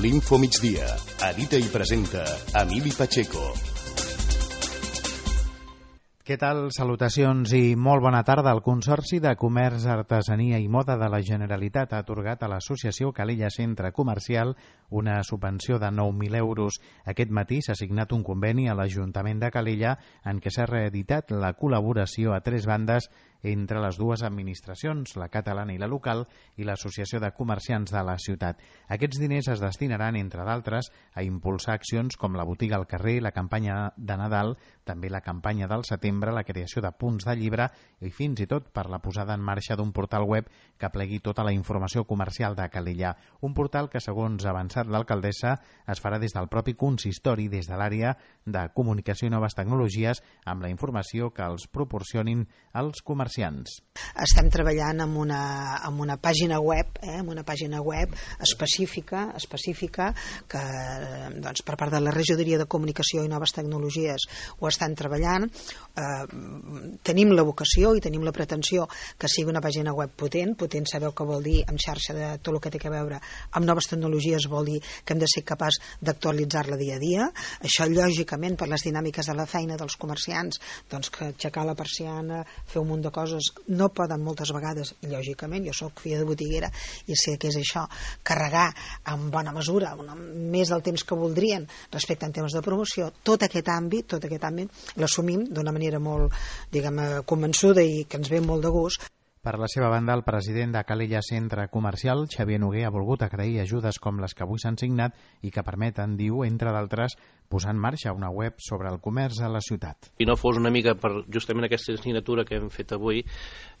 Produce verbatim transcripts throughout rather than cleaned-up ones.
L'Info Migdia. Edita i presenta Emili Pacheco. Què tal? Salutacions i molt bona tarda. El Consorci de Comerç, Artesania i Moda de la Generalitat ha atorgat a l'associació Calella Centre Comercial una subvenció de nou mil euros. Aquest matí s'ha signat un conveni a l'Ajuntament de Calella en què s'ha reeditat la col·laboració a tres bandes entre les dues administracions, la catalana i la local, i l'Associació de Comerciants de la ciutat. Aquests diners es destinaran, entre d'altres, a impulsar accions com la botiga al carrer, la campanya de Nadal, també la campanya del setembre, la creació de punts de llibre i fins i tot per la posada en marxa d'un portal web que plegui tota la informació comercial de Calella. Un portal que, segons ha avançat l'alcaldessa, es farà des del propi consistori, des de l'àrea de comunicació i noves tecnologies, amb la informació que els proporcionin els comerciants. Estem treballant amb una, amb una pàgina web, eh, amb una pàgina web específica, específica que doncs, per part de la Regidoria de Comunicació i Noves Tecnologies ho estan treballant. Eh, tenim la vocació i tenim la pretensió que sigui una pàgina web potent. Potent sabeu què vol dir en xarxa de tot el que té a veure amb noves tecnologies, vol dir que hem de ser capaç d'actualitzar-la dia a dia. Això, lògicament, per les dinàmiques de la feina dels comerciants, doncs que aixecar la persiana, fer un munt de coses no poden moltes vegades, lògicament, jo soc filla de botiguera i sé que és això, carregar en bona mesura, una, més del temps que voldrien respecte en temes de promoció. Tot aquest àmbit, tot aquest àmbit l'assumim d'una manera molt, diguem, convençuda i que ens ve molt de gust. Per la seva banda, el president de Calella Centre Comercial, Xavier Noguer, ha volgut agrair ajudes com les que avui s'han signat i que permeten, diu, entre d'altres, posar en marxa una web sobre el comerç a la ciutat. Si no fos una mica per justament aquesta assignatura que hem fet avui,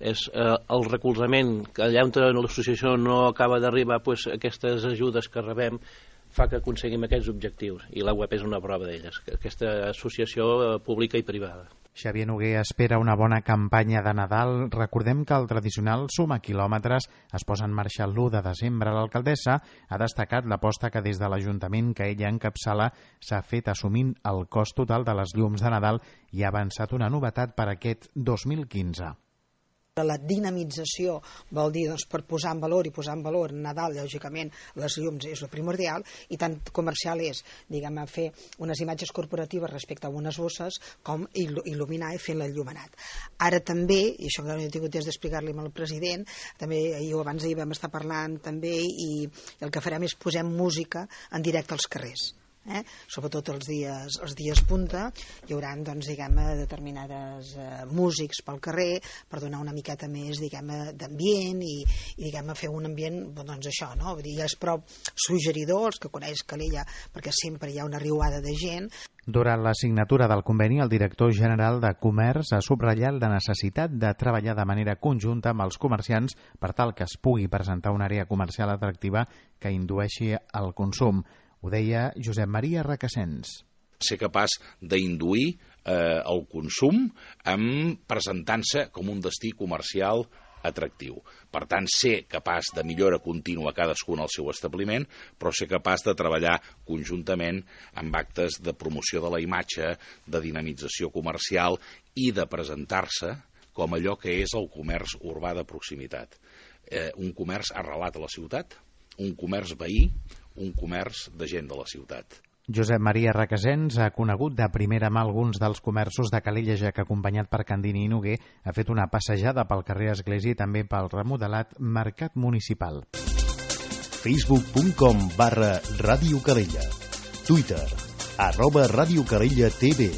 és eh, el recolzament, que allà on l'associació no acaba d'arribar, pues, aquestes ajudes que rebem fa que aconseguim aquests objectius, i la web és una prova d'elles, aquesta associació pública i privada. Xavier Noguer espera una bona campanya de Nadal. Recordem que el tradicional Suma Quilòmetres es posa en marxa l'u de desembre. L'alcaldessa ha destacat l'aposta que des de l'Ajuntament que ella encapçala s'ha fet assumint el cost total de les llums de Nadal i ha avançat una novetat per aquest dos mil quinze. La dinamització vol dir, doncs, per posar en valor i posar en valor Nadal, lògicament, les llums és el primordial, i tant comercial és, diguem, fer unes imatges corporatives respecte a unes bosses com il·luminar i fer l'enllumenat. Ara també, i això que no he tingut temps d'explicar-li al president, també ahir o abans d'ahir vam estar parlant també, i el que farem és posem música en directe als carrers. Eh? Sobretot els dies, els dies punta hi haurà, doncs, diguem, determinades eh, músics pel carrer per donar una miqueta més, diguem, d'ambient i, i diguem, fer un ambient, doncs això, no? Vull dir, és prou suggeridor, els que coneix Calella, perquè sempre hi ha una riuada de gent. Durant la signatura del conveni, el director general de Comerç ha subratllat la necessitat de treballar de manera conjunta amb els comerciants per tal que es pugui presentar una àrea comercial atractiva que indueixi al consum. Ho deia Josep Maria Requesens. Ser capaç d'induir eh, el consum en presentant-se com un destí comercial atractiu. Per tant, ser capaç de millora contínua cadascun al seu establiment, però ser capaç de treballar conjuntament amb actes de promoció de la imatge, de dinamització comercial i de presentar-se com allò que és el comerç urbà de proximitat. Eh, un comerç arrelat a la ciutat, un comerç veí, un comerç de gent de la ciutat. Josep Maria Requesens ha conegut de primera mà alguns dels comerços de Calella, ja que, acompanyat per Candini i Noguer, ha fet una passejada pel carrer Església i també pel remodelat Mercat Municipal. facebook punt com barra Ràdio Calella. Twitter, arroba Ràdio Calella T V.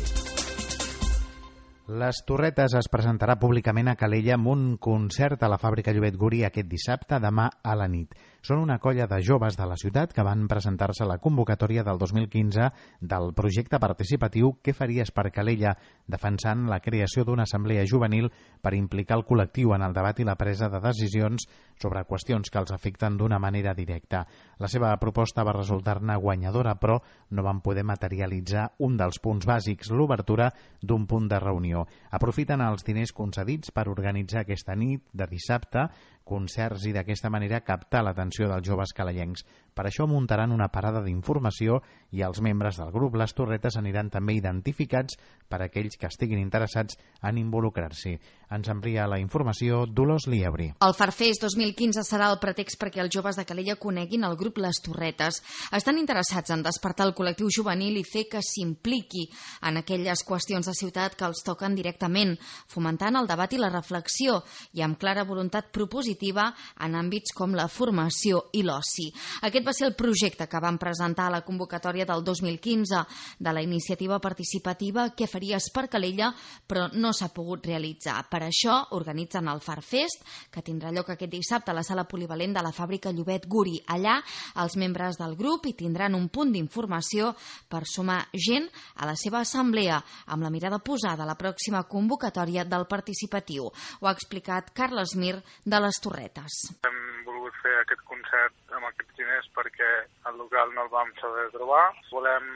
Les Torretes es presentarà públicament a Calella amb un concert a la Fàbrica Llobet Guri aquest dissabte, demà a la nit. Són una colla de joves de la ciutat que van presentar-se a la convocatòria del dos mil quinze del projecte participatiu Què faries per Calella, defensant la creació d'una assemblea juvenil per implicar el col·lectiu en el debat i la presa de decisions sobre qüestions que els afecten d'una manera directa. La seva proposta va resultar-ne guanyadora, però no van poder materialitzar un dels punts bàsics, l'obertura d'un punt de reunió. Aprofiten els diners concedits per organitzar aquesta nit de dissabte concerts i d'aquesta manera captar l'atenció dels joves calellencs. Per això muntaran una parada d'informació i els membres del grup Les Torretes aniran també identificats per a aquells que estiguin interessats en involucrar-s'hi. Ens amplia la informació Dolors Liebri. El Farfest dos mil quinze serà el pretext perquè els joves de Calella coneguin el grup Les Torretes. Estan interessats en despertar el col·lectiu juvenil i fer que s'impliqui en aquelles qüestions de ciutat que els toquen directament, fomentant el debat i la reflexió i amb clara voluntat propositiva en àmbits com la formació i l'oci. Aquest va ser el projecte que vam presentar a la convocatòria del dos mil quinze de la iniciativa participativa Què faries per Calella, però no s'ha pogut realitzar. Per això organitzen el Farfest, que tindrà lloc aquest dissabte a la sala polivalent de la fàbrica Llobet Guri. Allà, els membres del grup hi tindran un punt d'informació per sumar gent a la seva assemblea, amb la mirada posada a la pròxima convocatòria del participatiu. Ho ha explicat Carles Mir de Les Torretes. Hem volgut fer aquest concert amb aquests diners perquè el local no el vam saber trobar. Volem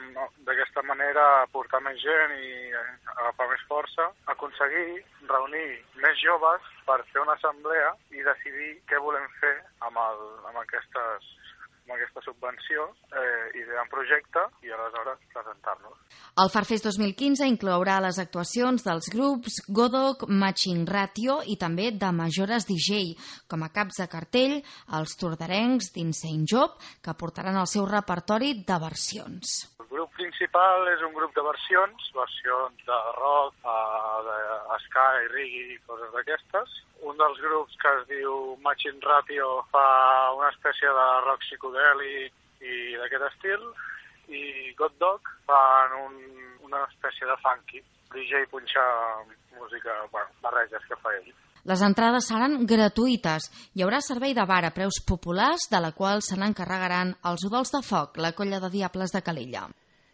d'aquesta manera portar més gent i agafar més força, aconseguir reunir més joves per fer una assemblea i decidir què volem fer amb, el, amb, aquestes, amb aquesta subvenció, eh, idear un projecte i aleshores presentar-nos. El Farfest dos mil quinze inclourà les actuacions dels grups Godok, Matching Ratio i també de Majores D J, com a caps de cartell els tordarencs d'Insane Job, que portaran el seu repertori de versions. El grup principal és un grup de versions, versions de rock, de ska i reggae i coses d'aquestes. Un dels grups que es diu Matching Ratio fa una espècie de rock psicodèlic i d'aquest estil, i God Dog fan un, una espècie de funky. D J punxa música, bueno, barreges que fa ell. Les entrades seran gratuïtes. Hi haurà servei de bar a preus populars, de la qual se n'encarregaran els Udols de Foc, la colla de diables de Calella.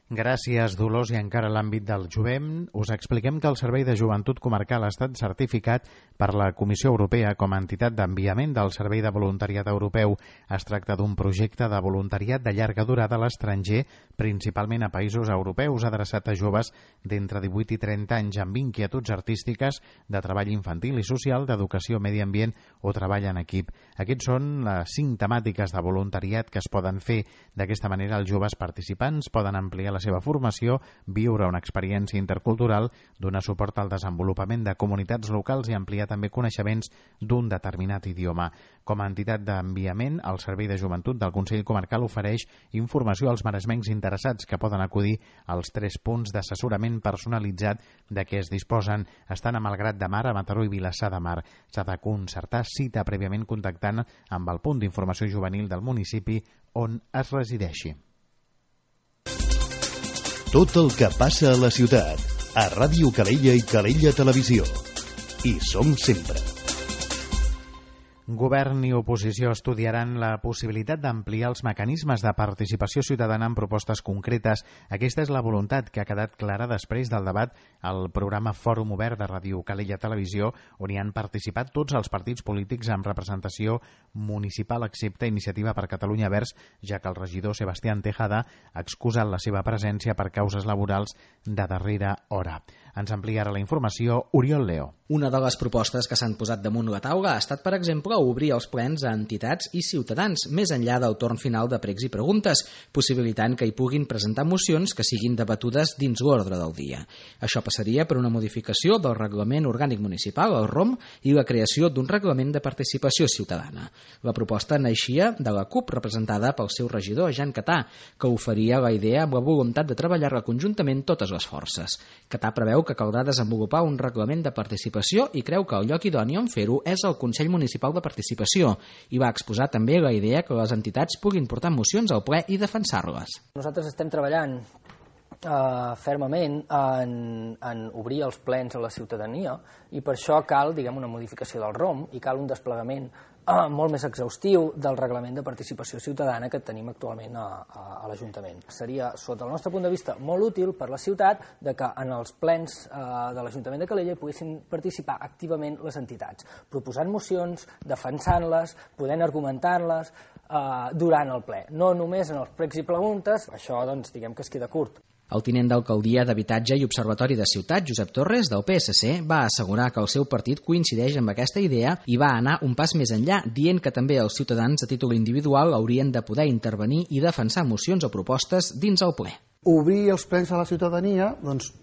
Gràcies, Dolors. I encara a l'àmbit del jovent, us expliquem que el Servei de Joventut Comarcal ha estat certificat per la Comissió Europea com a entitat d'enviament del Servei de Voluntariat Europeu. Es tracta d'un projecte de voluntariat de llarga durada a l'estranger, principalment a països europeus, adreçat a joves d'entre divuit i trenta anys amb inquietuds artístiques, de treball infantil i social, d'educació, medi ambient o treball en equip. Aquests són les cinc temàtiques de voluntariat que es poden fer. D'aquesta manera, els joves participants poden ampliar la seva formació, viure una experiència intercultural, donar suport al desenvolupament de comunitats locals i ampliar també coneixements d'un determinat idioma. Com a entitat d'enviament, el Servei de Joventut del Consell Comarcal ofereix informació als maresmencs interessats que poden acudir als tres punts d'assessorament personalitzat de què es disposen. Estan a Malgrat de Mar, a Mataró i Vilassar de Mar. S'ha de concertar cita prèviament contactant amb el punt d'informació juvenil del municipi on es resideixi. Tot el que passa a la ciutat, a Ràdio Calella i Calella Televisió. Hi som sempre. Govern i oposició estudiaran la possibilitat d'ampliar els mecanismes de participació ciutadana en propostes concretes. Aquesta és la voluntat que ha quedat clara després del debat al programa Fòrum Obert de Ràdio Calella Televisió, on hi han participat tots els partits polítics amb representació municipal, excepte Iniciativa per Catalunya Verds, ja que el regidor Sebastián Tejada ha excusat la seva presència per causes laborals de darrera hora. Ens amplia ara la informació Oriol Leo. Una de les propostes que s'han posat damunt la taula ha estat, per exemple, obrir els plens a entitats i ciutadans, més enllà del torn final de pregs i preguntes, possibilitant que hi puguin presentar mocions que siguin debatudes dins l'ordre del dia. Això passaria per una modificació del Reglament Orgànic Municipal, el R O M, i la creació d'un reglament de participació ciutadana. La proposta naixia de la CUP, representada pel seu regidor, Jan Catà, que oferia la idea amb la voluntat de treballar-la conjuntament totes les forces. Catà preveu que caldrà desenvolupar un reglament de participació i creu que el lloc idoni on fer-ho és el Consell Municipal de Participació i va exposar també la idea que les entitats puguin portar mocions al ple i defensar-les. Nosaltres estem treballant eh, fermament en, en obrir els plens a la ciutadania i per això cal, diguem, una modificació del R O M i cal un desplegament Uh, molt més exhaustiu del reglament de participació ciutadana que tenim actualment a, a, a l'Ajuntament. Seria, sota el nostre punt de vista, molt útil per la ciutat de que en els plens uh, de l'Ajuntament de Calella poguessin participar activament les entitats, proposant mocions, defensant-les, podent argumentar-les, Uh, durant el ple, no només en els pregs i preguntes. Això, doncs, diguem que es queda curt. El tinent d'alcaldia d'Habitatge i Observatori de Ciutat, Josep Torres, del P S C, va assegurar que el seu partit coincideix amb aquesta idea i va anar un pas més enllà, dient que també els ciutadans a títol individual haurien de poder intervenir i defensar mocions o propostes dins el ple. Obrir els plens a la ciutadania, doncs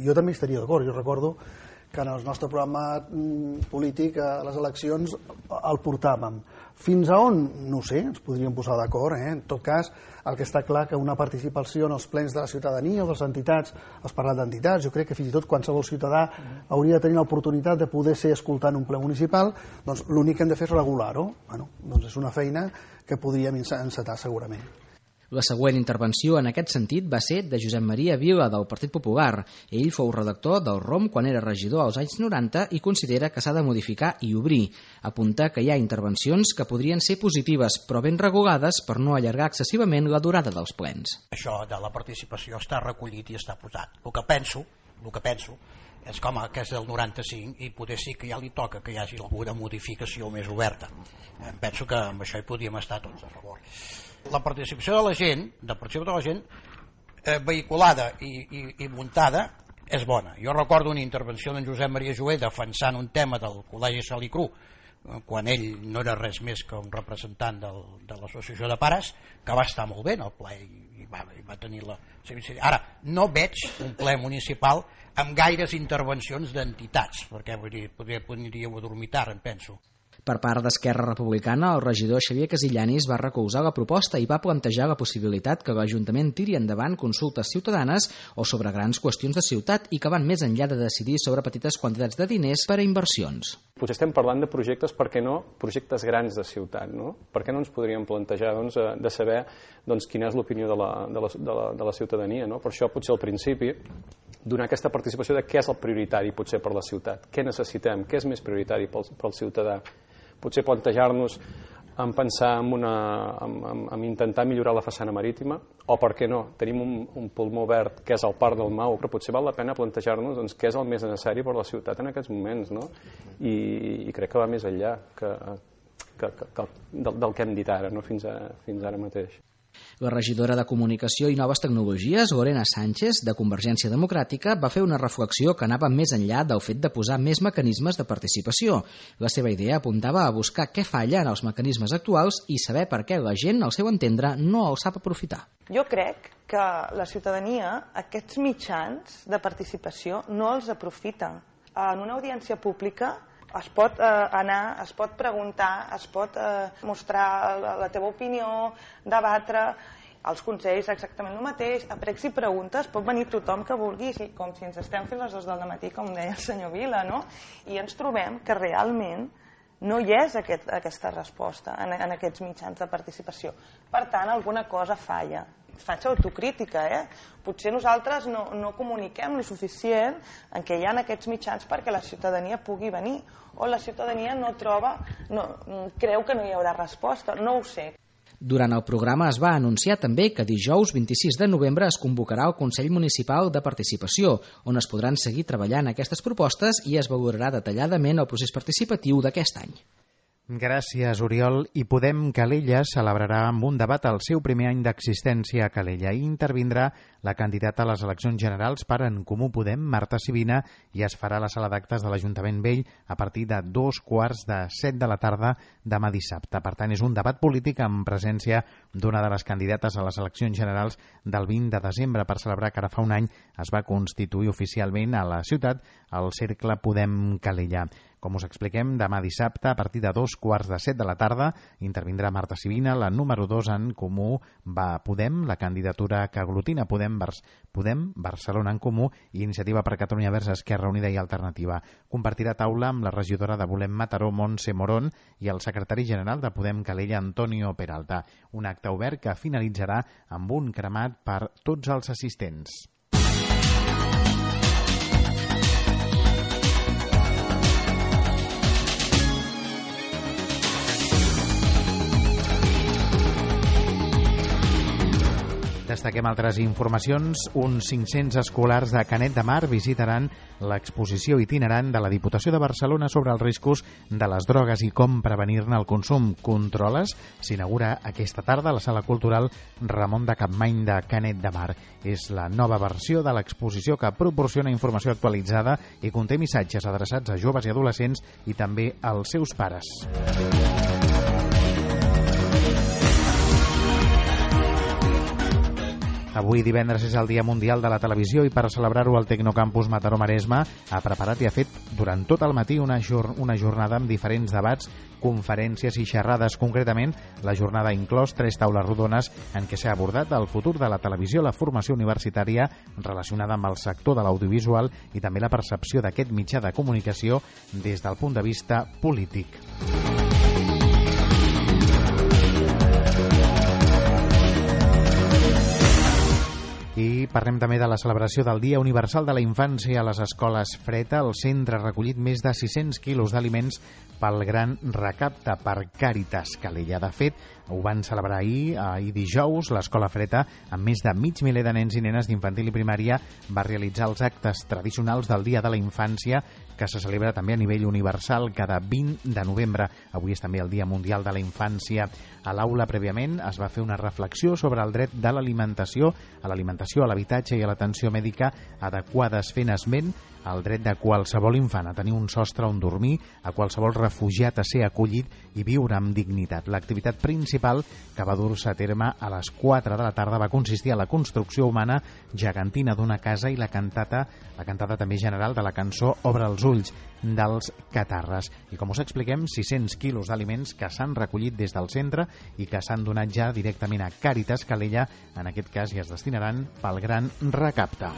jo també estaria d'acord. Jo recordo que en el nostre programa polític a les eleccions el portàvem. Fins a on? No ho sé, ens podríem posar d'acord. Eh? En tot cas, el que està clar que una participació en els plens de la ciutadania o de les entitats, has parlat d'entitats, jo crec que fins i tot qualsevol ciutadà hauria de tenir l'oportunitat de poder ser escoltant un ple municipal, doncs l'únic que hem de fer és regular-ho. Bueno, doncs és una feina que podríem encetar segurament. La següent intervenció en aquest sentit va ser de Josep Maria Vila, del Partit Popular. Ell fou redactor del R O M quan era regidor als anys noranta i considera que s'ha de modificar i obrir. Apunta que hi ha intervencions que podrien ser positives, però ben regulades per no allargar excessivament la durada dels plens. Això de la participació està recollit i està posat. El que penso, el que penso és com que és del noranta-cinc i potser sí que ja li toca que hi hagi alguna modificació més oberta. Penso que amb això hi podríem estar tots a favor. La participació de la gent, la participació de la gent eh, vehiculada i, i, i muntada és bona. Jo recordo una intervenció d'en Josep Maria Jover defensant un tema del Col·legi Salicru, eh, quan ell no era res més que un representant del, de l'associació de pares, que va estar molt bé en el ple i, i, va, i va tenir la... Ara, no veig un ple municipal amb gaires intervencions d'entitats, perquè vull dir, podria, podria dormitar, em penso. Per part d'Esquerra Republicana, el regidor Xavier Casillanis va recolzar la proposta i va plantejar la possibilitat que l'Ajuntament tiri endavant consultes ciutadanes o sobre grans qüestions de ciutat i que van més enllà de decidir sobre petites quantitats de diners per a inversions. Potser estem parlant de projectes, per què no, projectes grans de ciutat, no? Per què no ens podríem plantejar doncs, de saber doncs, quina és l'opinió de, la, de, la, de, la, de la ciutadania, no? Per això potser al principi donar aquesta participació de què és el prioritari potser per la ciutat, què necessitem, què és més prioritari pel, pel ciutadà. Potser plantejar-nos en pensar en, una, en, en, en intentar millorar la façana marítima, o per què no, tenim un, un pulmó verd que és el Parc del Mau, però potser val la pena plantejar-nos doncs, què és el més necessari per la ciutat en aquests moments, no? I, i crec que va més enllà que, que, que, que del, del que hem dit ara, no? fins, a, fins ara mateix. La regidora de Comunicació i Noves Tecnologies, Lorena Sánchez, de Convergència Democràtica, va fer una reflexió que anava més enllà del fet de posar més mecanismes de participació. La seva idea apuntava a buscar què falla en els mecanismes actuals i saber per què la gent, al seu entendre, no els sap aprofitar. Jo crec que la ciutadania, aquests mitjans de participació, no els aprofita. En una audiència pública es pot eh, anar, es pot preguntar, es pot eh, mostrar la, la teva opinió, debatre, els consells exactament el mateix, a pregs i preguntes pot venir tothom que vulgui, com si ens estem fins les dues del matí, com deia el senyor Vila, no? I ens trobem que realment no hi és aquest, aquesta resposta en, en aquests mitjans de participació. Per tant, alguna cosa falla. Faig autocrítica, eh? Potser nosaltres no, no comuniquem lo suficient en què hi ha aquests mitjans perquè la ciutadania pugui venir, o la ciutadania no troba, no, creu que no hi haurà resposta, no ho sé. Durant el programa es va anunciar també que dijous vint-i-sis de novembre es convocarà el Consell Municipal de Participació, on es podran seguir treballant aquestes propostes i es valorarà detalladament el procés participatiu d'aquest any. Gràcies, Oriol. I Podem Calella celebrarà amb un debat el seu primer any d'existència a Calella i intervindrà la candidata a les eleccions generals per En Comú Podem, Marta Sibina, i es farà a la sala d'actes de l'Ajuntament Vell a partir de dos quarts de set de la tarda demà dissabte. Per tant, és un debat polític amb presència d'una de les candidates a les eleccions generals del vint de desembre per celebrar que ara fa un any es va constituir oficialment a la ciutat el Cercle Podem Calella. Com us expliquem, demà dissabte, a partir de dos quarts de set de la tarda, intervindrà Marta Sibina, la número dos en Comú va Podem, la candidatura que aglutina Podem, Podem Barcelona en Comú i Iniciativa per Catalunya Verds, Esquerra Unida i Alternativa. Compartirà taula amb la regidora de Volem Mataró, Montse Morón, i el secretari general de Podem Calella, Antonio Peralta. Un acte obert que finalitzarà amb un cremat per tots els assistents. destaquem altres informacions. Uns cinc-cents escolars de Canet de Mar visitaran l'exposició itinerant de la Diputació de Barcelona sobre els riscos de les drogues i com prevenir-ne el consum. Controles s'inaugura aquesta tarda a la Sala Cultural Ramon de Capmany de Canet de Mar. És la nova versió de l'exposició que proporciona informació actualitzada i conté missatges adreçats a joves i adolescents i també als seus pares. Avui divendres és el Dia Mundial de la Televisió i per celebrar-ho el Tecnocampus Mataró-Maresme ha preparat i ha fet durant tot el matí una, jor una jornada amb diferents debats, conferències i xerrades. Concretament, la jornada ha inclòs tres taules rodones en què s'ha abordat el futur de la televisió, la formació universitària relacionada amb el sector de l'audiovisual i també la percepció d'aquest mitjà de comunicació des del punt de vista polític. I parlem també de la celebració del Dia Universal de la Infància a les escoles Freta. El centre ha recollit més de sis-cents quilos d'aliments pel gran recapte per Càritas Calella. De fet, ho van celebrar ahir, ahir dijous. L'escola Freta, amb més de mig miler de nens i nenes d'infantil i primària, va realitzar els actes tradicionals del Dia de la Infància, que se celebra també a nivell universal cada vint de novembre. Avui és també el Dia Mundial de la Infància. A l'aula, prèviament, es va fer una reflexió sobre el dret de l'alimentació, a l'alimentació, a l'habitatge i a l'atenció mèdica adequades, fent esment al dret de qualsevol infant a tenir un sostre on dormir, a qualsevol refugiat a ser acollit i viure amb dignitat. L'activitat principal que va dur-se a terme a les quatre de la tarda va consistir a la construcció humana gegantina d'una casa i la cantata, la cantata també general de la cançó Obre els ulls dels Catarres. I com us expliquem, sis-cents quilos d'aliments que s'han recollit des del centre i que s'han donat ja directament a Càritas Calella, en aquest cas, i es destinaran pel gran recapte.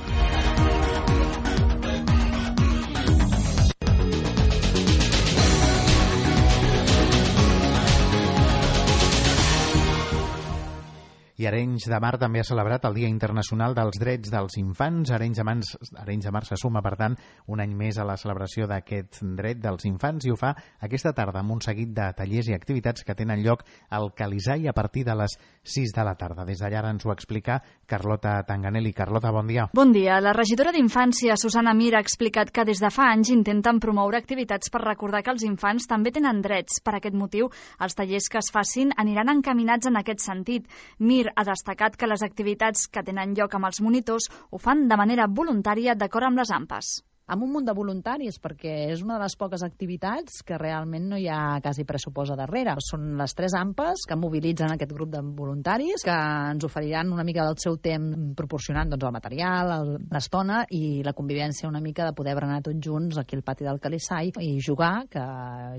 I Arenys de Mar també ha celebrat el Dia Internacional dels Drets dels Infants. Arenys de Mar, Arenys de Mar se suma, per tant, un any més a la celebració d'aquest dret dels infants i ho fa aquesta tarda amb un seguit de tallers i activitats que tenen lloc al Calisai a partir de les sis de la tarda. Des d'allà ens ho explica Carlota Tanganelli. Carlota, bon dia. Bon dia. La regidora d'Infància, Susana Mir, ha explicat que des de fa anys intenten promoure activitats per recordar que els infants també tenen drets. Per aquest motiu, els tallers que es facin aniran encaminats en aquest sentit. Mir ha destacat que les activitats que tenen lloc amb els monitors ho fan de manera voluntària d'acord amb les A M P A s. Amb un munt de voluntaris, perquè és una de les poques activitats que realment no hi ha quasi pressupost a darrere. Són les tres A M P A s que mobilitzen aquest grup de voluntaris, que ens oferiran una mica del seu temps proporcionant doncs, el material, l'estona i la convivència una mica de poder berenar tots junts aquí al pati del Calisai i jugar, que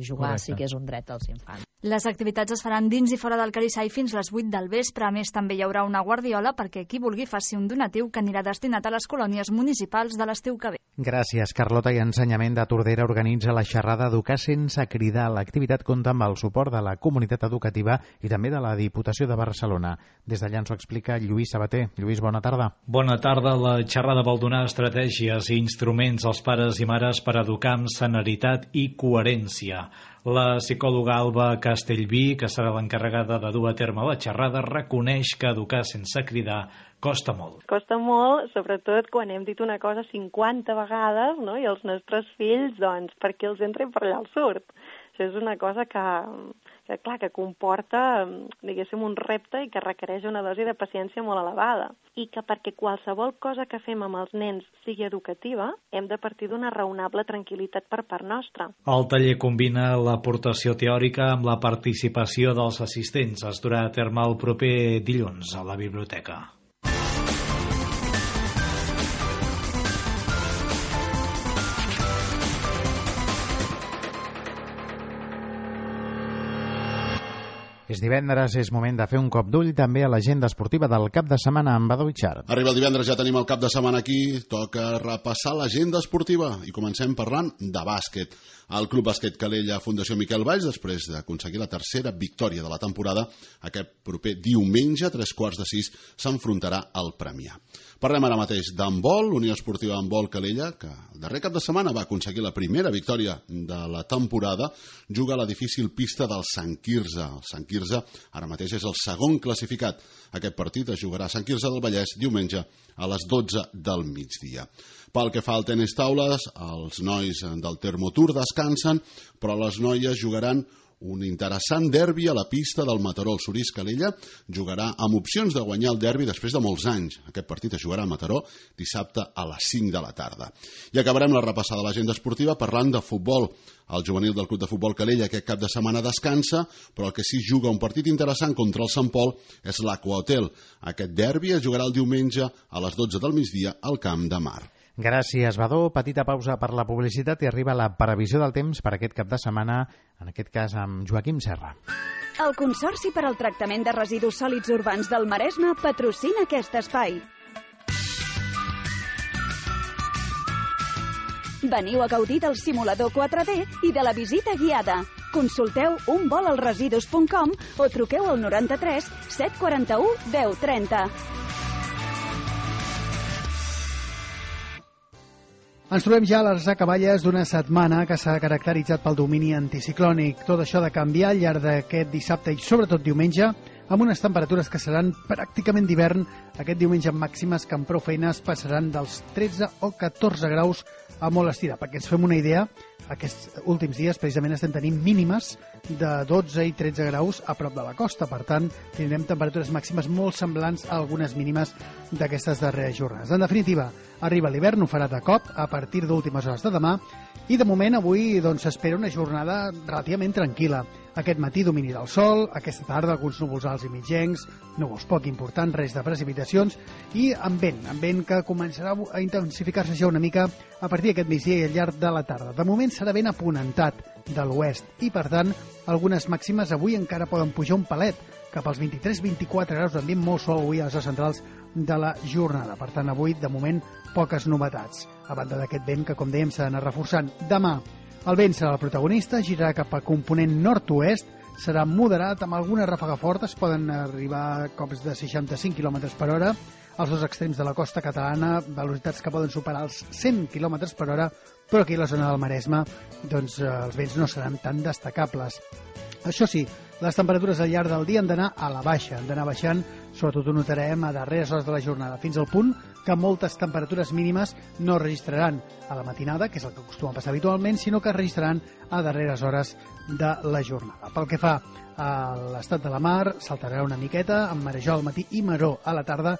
jugar Correcte. Sí que és un dret dels infants. Les activitats es faran dins i fora del Calisai fins les vuit del vespre. A més, també hi haurà una guardiola perquè qui vulgui faci un donatiu que anirà destinat a les colònies municipals de l'estiu que ve. Gràcies, Carlota. I Ensenyament de Tordera organitza la xerrada Educar sense cridar. L'activitat compta amb el suport de la comunitat educativa i també de la Diputació de Barcelona. Des d'allà ens ho explica Lluís Sabater. Lluís, bona tarda. Bona tarda. La xerrada vol donar estratègies i instruments als pares i mares per educar amb senaritat i coherència. La psicòloga Alba Castellví, que serà l'encarregada de dur a terme la xerrada, reconeix que educar sense cridar costa molt. Costa molt, sobretot quan hem dit una cosa cinquanta vegades, no? I els nostres fills, doncs, per què els entra i per allà els surt. Això és una cosa que, que, clar, que comporta, diguéssim, un repte i que requereix una dosi de paciència molt elevada. I que perquè qualsevol cosa que fem amb els nens sigui educativa, hem de partir d'una raonable tranquil·litat per part nostra. El taller combina l'aportació teòrica amb la participació dels assistents. Es durà a terme el proper dilluns a la biblioteca. És divendres, és moment de fer un cop d'ull també a l'agenda esportiva del cap de setmana amb Badó Itxart. Arriba el divendres, ja tenim el cap de setmana aquí, toca repassar l'agenda esportiva i comencem parlant de bàsquet. El Club Bàsquet Calella Fundació Miquel Valls, després d'aconseguir la tercera victòria de la temporada, aquest proper diumenge, a tres quarts de sis, s'enfrontarà al Premià. Parlem ara mateix d'handbol, Unió Esportiva Handbol Calella, que el darrer cap de setmana va aconseguir la primera victòria de la temporada, juga a la difícil pista del Sant Quirze. El Sant Quirze ara mateix és el segon classificat. Aquest partit es jugarà a Sant Quirze del Vallès diumenge a les dotze del migdia. Pel que fa al tenis taules, els nois del Termotour descansen, però les noies jugaran un interessant derbi a la pista del Mataró. El Sorís Calella jugarà amb opcions de guanyar el derbi després de molts anys. Aquest partit es jugarà a Mataró dissabte a les cinc de la tarda. I acabarem la repassada de l'agenda esportiva parlant de futbol. El juvenil del Club de Futbol Calella aquest cap de setmana descansa, però el que sí juga un partit interessant contra el Sant Pol és l'Aqua Hotel. Aquest derbi es jugarà el diumenge a les dotze del migdia al Camp de Mar. Gràcies, Badó. Petita pausa per la publicitat i arriba la previsió del temps per aquest cap de setmana, en aquest cas amb Joaquim Serra. El Consorci per al Tractament de Residus Sòlids Urbans del Maresme patrocina aquest espai. Veniu a gaudir del simulador quatre D i de la visita guiada. Consulteu un vol al residus punt com o truqueu al noranta-tres set quaranta-u deu trenta. Ens trobem ja a les acaballes d'una setmana que s'ha caracteritzat pel domini anticiclònic. Tot això ha de canviar al llarg d'aquest dissabte i sobretot diumenge, amb unes temperatures que seran pràcticament d'hivern. Aquest diumenge amb màximes que amb prou feines passaran dels tretze o catorze graus a molt estirar. Perquè ens fem una idea, aquests últims dies precisament estem tenint mínimes de dotze i tretze graus a prop de la costa. Per tant, tindrem temperatures màximes molt semblants a algunes mínimes d'aquestes darreres jornades. En definitiva, arriba l'hivern, ho farà de cop a partir d'últimes hores de demà i de moment avui doncs, s'espera una jornada relativament tranquil·la. Aquest matí domini del sol, aquesta tarda alguns núvols alts i mitjencs, núvols poc importants, res de precipitacions i amb vent, amb vent que començarà a intensificar-se ja una mica a partir d'aquest migdia i al llarg de la tarda. De moment serà vent aponentat de l'oest i per tant algunes màximes avui encara poden pujar un palet cap als vint-i-tres vint-i-quatre graus, ambient molt sol avui a les hores centrals de la jornada. Per tant, avui, de moment, poques novetats. A banda d'aquest vent que, com dèiem, s'ha d'anar reforçant. Demà, el vent serà el protagonista, girarà cap a component nord-oest, serà moderat, amb alguna ràfaga forta, es poden arribar a cops de seixanta-cinc quilòmetres per hora, als dos extrems de la costa catalana, velocitats que poden superar els cent quilòmetres per hora, però aquí a la zona del Maresme doncs, els vents no seran tan destacables. Això sí, les temperatures al llarg del dia han d'anar a la baixa, han d'anar baixant, sobretot ho notarem a darreres hores de la jornada, fins al punt que moltes temperatures mínimes no registraran a la matinada, que és el que acostuma a passar habitualment, sinó que registraran a darreres hores de la jornada. Pel que fa a l'estat de la mar, saltarà una miqueta, amb marejol al matí i maror a la tarda,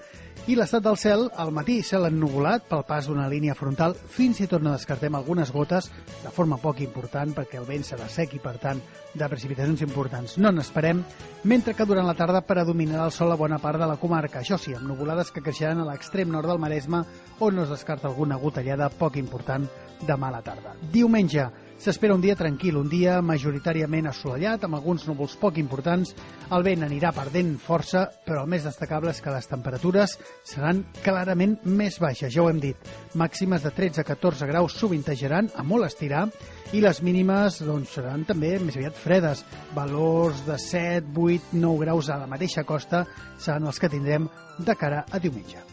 i l'estat del cel, al matí cel ennuvolat pel pas d'una línia frontal, fins i tot no descartem algunes gotes de forma poc important, perquè el vent serà sec i, per tant, de precipitacions importants no n'esperem, mentre que durant la tarda predominarà el sol a bona part de la comarca, això sí, amb nuvolades que creixeran a l'extrem nord del Maresme, on no es descarta alguna gotellada poc important demà a la tarda. Diumenge s'espera un dia tranquil, un dia majoritàriament assolellat, amb alguns núvols poc importants. El vent anirà perdent força, però el més destacable és que les temperatures seran clarament més baixes, ja ho hem dit. Màximes de tretze a catorze graus sovintejaran a molt estirar i les mínimes doncs, seran també més aviat fredes. Valors de set, vuit, nou graus a la mateixa costa seran els que tindrem de cara a diumenge.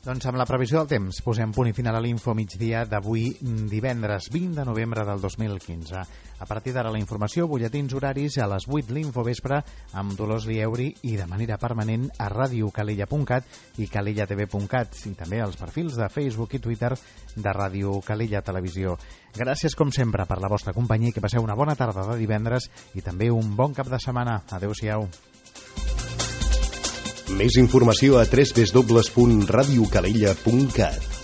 Doncs amb la previsió del temps posem punt i final a l'info migdia d'avui divendres vint de novembre del dos mil quinze. A partir d'ara la informació, butlletins horaris a les vuit l'info vespre amb Dolors Lieuri i de manera permanent a ràdio calella punt cat i calella t v punt cat i també als perfils de Facebook i Twitter de Ràdio Calella Televisió. Gràcies com sempre per la vostra companyia i que passeu una bona tarda de divendres i també un bon cap de setmana. Adéu-siau. Més informació a w w w punt ràdio calella punt cat.